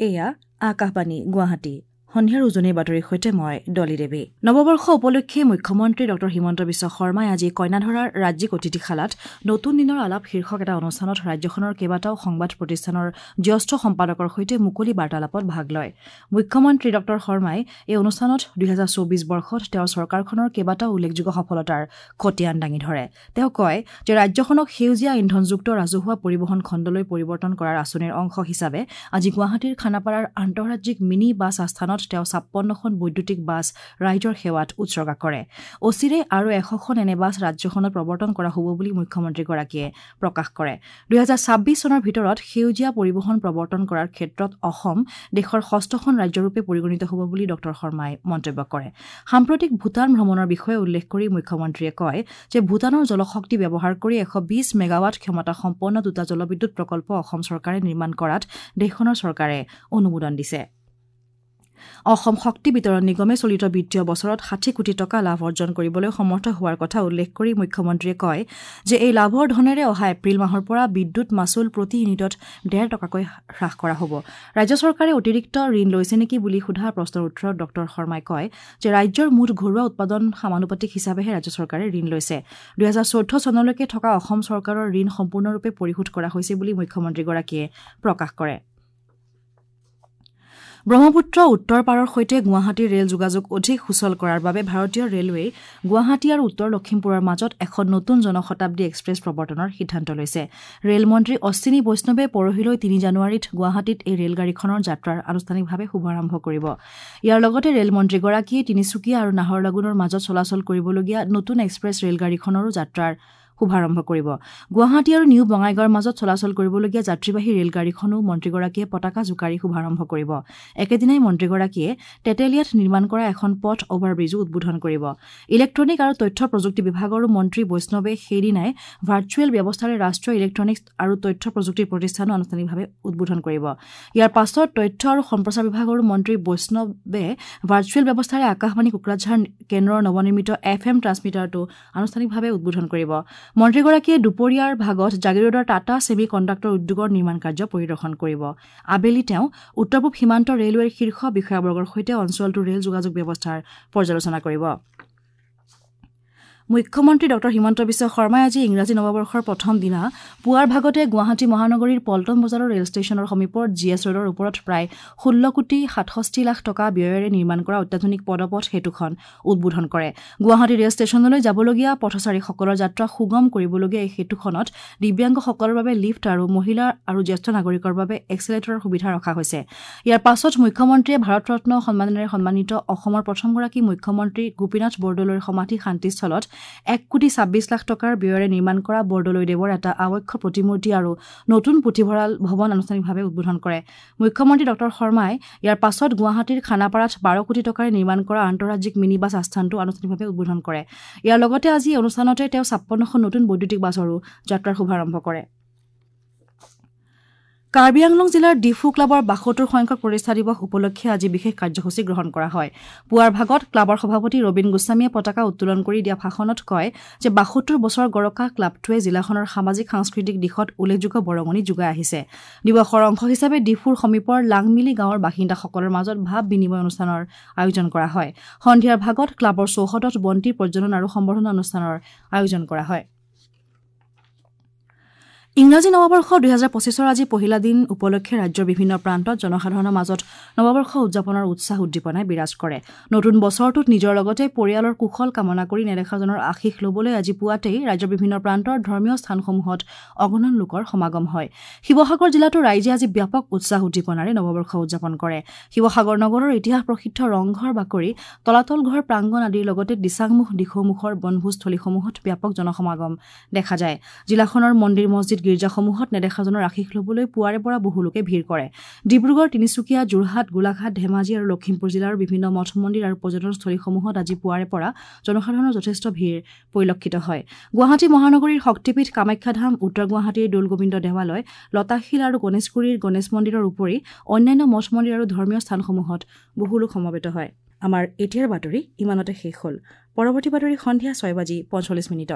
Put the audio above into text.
এয়া আকাশবাণী গুৱাহাটী। সন্ধিয়াৰ উজনিৰ বাতৰিৰ সৈতে মই ডলি দেৱী। নৱবৰ্ষ উপলক্ষে মুখ্যমন্ত্ৰী ডঃ হিমন্ত বিশ্ব শৰ্মাই আজি কইনাধৰাৰ ৰাজ্যিক অতিথিশালাত নতুন দিনৰ আলাপ শীৰ্ষক এটা অনুষ্ঠানত ৰাজ্যখনৰ কেইবাটাও সংবাদ প্ৰতিষ্ঠানৰ জ্যেষ্ঠ সম্পাদকৰ সৈতে মুকলি বাৰ্তালাপত ভাগ লয়। মুখ্যমন্ত্ৰী ডঃ শৰ্মাই এই অনুষ্ঠানত ২০২৪ বৰ্ষত তেওঁৰ চৰকাৰখনৰ কেইবাটাও উল্লেখযোগ্য সফলতাৰ খতিয়ান দাঙি ধৰে। তেওঁ কয় যে ৰাজ্যখনক সেউজীয়া ইন্ধনযুক্ত ৰাজহুৱা পৰিবহণ খণ্ডলৈ পৰিৱৰ্তন কৰাৰ আঁচনিৰ অংশ হিচাপে আজি গুৱাহাটীৰ খানাপাৰাৰ আন্তঃৰাজ্যিক মিনি বাছ আস্থানত তেওঁ ৫৬খন বৈদ্যুতিক বাছ ৰাইজৰ সেৱাত উৎসৰ্গা কৰে। অচিৰে আৰু ১০০খন এনে বাছ ৰাজ্যখনত প্ৰৱৰ্তন কৰা হ'ব বুলি মুখ্যমন্ত্ৰীগৰাকীয়ে প্ৰকাশ কৰে। ২০২৬ চনৰ ভিতৰত সেউজীয়া পৰিবহণ প্ৰৱৰ্তন কৰাৰ ক্ষেত্ৰত অসম দেশৰ ষষ্ঠখন ৰাজ্যৰূপে পৰিগণিত হ'ব বুলি ডঃ শৰ্মাই মন্তব্য কৰে। সাম্প্ৰতিক ভূটান ভ্ৰমণৰ বিষয়ে উল্লেখ কৰি মুখ্যমন্ত্ৰীয়ে কয় যে ভূটানৰ জলশক্তি ব্যৱহাৰ কৰি ১২০ মেগাৱাট ক্ষমতাসম্পন্ন দুটা জলবিদ্যুৎ প্ৰকল্প অসম চৰকাৰে নিৰ্মাণ কৰাত দেশখনৰ চৰকাৰে অনুমোদন দিছে। অসম শক্তি বিতৰণ নিগমে চলিত বিত্তীয় বছৰত ৬০ কোটি টকা লাভ অৰ্জন কৰিবলৈ সমৰ্থ হোৱাৰ কথা উল্লেখ কৰি মুখ্যমন্ত্ৰীয়ে কয় যে এই লাভৰ ধনেৰে অহা এপ্ৰিল মাহৰ পৰা বিদ্যুৎ মাচুল প্ৰতি ইউনিটত ১.৫ টকাকৈ হ্ৰাস কৰা হ'ব। ৰাজ্য চৰকাৰে অতিৰিক্ত ঋণ লৈছে নেকি বুলি সোধা প্ৰশ্নৰ উত্তৰত ডঃ শৰ্মাই কয় যে ৰাজ্যৰ মুঠ ঘৰুৱা উৎপাদন সমানুপাতিক হিচাপেহে ৰাজ্য চৰকাৰে ঋণ লৈছে। ২০১৪ চনলৈকে থকা অসম চৰকাৰৰ ঋণ সম্পূৰ্ণৰূপে পৰিশোধ কৰা হৈছে বুলি মুখ্যমন্ত্ৰীগৰাকীয়ে প্ৰকাশ কৰে। ব্ৰহ্মপুত্ৰ উত্তৰ পাৰৰ সৈতে গুৱাহাটীৰ ৰেল যোগাযোগ অধিক সুচল কৰাৰ বাবে ভাৰতীয় ৰেলৱেই গুৱাহাটী আৰু উত্তৰ লখিমপুৰৰ মাজত এখন নতুন জনশতাব্দী এক্সপ্ৰেছ প্ৰৱৰ্তনৰ সিদ্ধান্ত লৈছে। ৰেলমন্ত্ৰী অশ্বিনী বৈষ্ণৱে পৰহিলৈ ৩ জানুৱাৰীত গুৱাহাটীত এই ৰেলগাড়ীখনৰ যাত্ৰাৰ আনুষ্ঠানিকভাৱে শুভাৰম্ভ কৰিব। ইয়াৰ লগতে ৰেলমন্ত্ৰীগৰাকীয়ে তিনিচুকীয়া আৰু নাহৰলাগুনৰ মাজত চলাচল কৰিবলগীয়া নতুন এক্সপ্ৰেছ ৰেলগাড়ীখনৰো যাত্ৰাৰ শুভাৰম্ভ কৰিব। গুৱাহাটী আৰু নিউ বঙাইগাঁৱৰ মাজত চলাচল কৰিবলগীয়া যাত্ৰীবাহী ৰেলগাড়ীখনো মন্ত্ৰীগৰাকীয়ে পতাকা জোকাৰি শুভাৰম্ভ কৰিব। একেদিনাই মন্ত্ৰীগৰাকীয়ে তেতেলীয়াত নিৰ্মাণ কৰা এখন পথ অভাৰব্ৰীজো উদ্বোধন কৰিব। ইলেক্ট্ৰনিক আৰু তথ্য প্ৰযুক্তি বিভাগৰো মন্ত্ৰী বৈষ্ণৱে সেইদিনাই ভাৰ্চুৱেল ব্যৱস্থাৰে ৰাষ্ট্ৰীয় ইলেক্ট্ৰনিক্স আৰু তথ্য প্ৰযুক্তি প্ৰতিষ্ঠানো আনুষ্ঠানিকভাৱে উদ্বোধন কৰিব। ইয়াৰ পাছত তথ্য আৰু সম্প্ৰচাৰ বিভাগৰো মন্ত্ৰী বৈষ্ণৱে ভাৰ্চুৱেল ব্যৱস্থাৰে আকাশবাণী কোকৰাঝাৰ কেন্দ্ৰৰ নৱনিৰ্মিত এফ এম ট্ৰান্সমিটাৰটো আনুষ্ঠানিকভাৱে উদ্বোধন কৰিব। মন্ত্ৰীগৰাকীয়ে দুপৰীয়াৰ ভাগত জাগিৰোডৰ টাটা ছেমি কণ্ডাক্টৰ উদ্যোগৰ নিৰ্মাণ কাৰ্য পৰিদৰ্শন কৰিব। আবেলি তেওঁ উত্তৰ পূব সীমান্ত ৰেলৱেৰ শীৰ্ষ বিষয়াবৰ্গৰ সৈতে অঞ্চলটোৰ ৰেল যোগাযোগ ব্যৱস্থাৰ পৰ্যালোচনা কৰিব। মুখ্যমন্ত্ৰী ডঃ হিমন্ত বিশ্ব শৰ্মাই আজি ইংৰাজী নৱবৰ্ষৰ প্ৰথম দিনা পুৱাৰ ভাগতে গুৱাহাটী মহানগৰীৰ পল্টন বজাৰৰ ৰেল ষ্টেচনৰ সমীপৰ জি এছ ৰোডৰ ওপৰত প্ৰায় ১৬ কোটি ৬৭ লাখ টকা ব্যয়েৰে নিৰ্মাণ কৰা অত্যাধুনিক পদপথ সেতুখন উদ্বোধন কৰে। গুৱাহাটী ৰেল ষ্টেচনলৈ যাবলগীয়া পথচাৰীসকলৰ যাত্ৰা সুগম কৰিবলগীয়া এই সেতুখনত দিব্যাংগসকলৰ বাবে লিফ্ট আৰু মহিলা আৰু জ্যেষ্ঠ নাগৰিকৰ বাবে এক্সেলেটৰৰ সুবিধা ৰখা হৈছে। ইয়াৰ পাছত মুখ্যমন্ত্ৰীয়ে ভাৰতৰত্ন সন্মানেৰে সন্মানিত অসমৰ প্ৰথমগৰাকী মুখ্যমন্ত্ৰী গোপীনাথ বৰদলৈৰ সমাধি শান্তিস্থলত ১ কোটি ২৬ লাখ টকাৰ ব্যয়েৰে নিৰ্মাণ কৰা বৰদলৈদেৱৰ এটা আৱক্ষ প্ৰতিমূৰ্তি আৰু নতুন পুথিভঁৰাল ভৱন আনুষ্ঠানিকভাৱে উদ্বোধন কৰে। মুখ্যমন্ত্ৰী ডঃ শৰ্মাই ইয়াৰ পাছত গুৱাহাটীৰ খানাপাৰাত ১২ কোটি টকাৰে নিৰ্মাণ কৰা আন্তঃৰাজ্যিক মিনি বাছ আস্থানটো আনুষ্ঠানিকভাৱে উদ্বোধন কৰে। ইয়াৰ লগতে আজি এই অনুষ্ঠানতে তেওঁ ৫৬খন নতুন বৈদ্যুতিক বাছৰো যাত্ৰাৰ শুভাৰম্ভ কৰে। কাৰ্বি আংলং জিলাৰ ডিফু ক্লাবৰ ৭২ সংখ্যক প্ৰতিষ্ঠা দিৱস উপলক্ষে আজি বিশেষ কাৰ্যসূচী গ্ৰহণ কৰা হয়। পুৱাৰ ভাগত ক্লাবৰ সভাপতি ৰবীন গোস্বামীয়ে পতাকা উত্তোলন কৰি দিয়া ভাষণত কয় যে ৭২ বছৰ গৰকা ক্লাবটোৱে জিলাখনৰ সামাজিক সাংস্কৃতিক দিশত উল্লেখযোগ্য বৰঙণি যোগাই আহিছে। দিৱসৰ অংশ হিচাপে ডিফুৰ সমীপৰ লাংমিলি গাঁৱৰ বাসিন্দাসকলৰ মাজত ভাৱ বিনিময় অনুষ্ঠানৰ আয়োজন কৰা হয়। সন্ধিয়াৰ ভাগত ক্লাবৰ চৌহদত বন্তি প্ৰজ্বলন আৰু সম্বৰ্ধনা অনুষ্ঠানৰ আয়োজন কৰা হয়। ইংৰাজী নৱবৰ্ষ ২০২৫ৰ আজি পহিলা দিন উপলক্ষে ৰাজ্যৰ বিভিন্ন প্ৰান্তত জনসাধাৰণৰ মাজত নৱবৰ্ষ উদযাপনৰ উৎসাহ উদ্দীপনাই বিৰাজ কৰে। নতুন বছৰটোত নিজৰ লগতে পৰিয়ালৰ কুশল কামনা কৰি নেদেখাজনৰ আশীষ ল'বলৈ আজি পুৱাতেই ৰাজ্যৰ বিভিন্ন প্ৰান্তৰ ধৰ্মীয় স্থানসমূহত অগণন লোকৰ সমাগম হয়। শিৱসাগৰ জিলাতো ৰাইজে আজি ব্যাপক উৎসাহ উদ্দীপনাৰে নৱবৰ্ষ উদযাপন কৰে। শিৱসাগৰ নগৰৰ ইতিহাস প্ৰসিদ্ধ ৰংঘৰ বাকৰি, তলাতল ঘৰ প্ৰাংগণ আদিৰ লগতে দিচাংমুখ দিখৌমুখৰ বনভোজস্থলীসমূহত ব্যাপক জনসমাগম দেখা যায়। জিলাখনৰ মন্দিৰ মছজিদ গীৰ্জাসমূহত নেদেখাজনৰ আশীষ ল'বলৈ পুৱাৰে পৰা বহু লোকে ভিৰ কৰে। ডিব্ৰুগড়, তিনিচুকীয়া, যোৰহাট, গোলাঘাট, ধেমাজি আৰু লখিমপুৰ জিলাৰ বিভিন্ন মঠ মন্দিৰ আৰু পৰ্যটনস্থলীসমূহত আজি পুৱাৰে পৰা জনসাধাৰণৰ যথেষ্ট ভিৰ পৰিলক্ষিত হয়। গুৱাহাটী মহানগৰীৰ শক্তিপীঠ কামাখ্যা ধাম, উত্তৰ গুৱাহাটীৰ দৌলগোবিন্দ দেৱালয়, লতাশিল আৰু গণেশগুৰিৰ গণেশ মন্দিৰৰ উপৰি অন্যান্য মঠ মন্দিৰ আৰু ধৰ্মীয় স্থানসমূহত বহু লোক সমবেত হয়। আমাৰ এতিয়াৰ বাতৰি ইমানতে শেষ হ'ল। পৰৱৰ্তী বাতৰি সন্ধিয়া ৬:৪৫।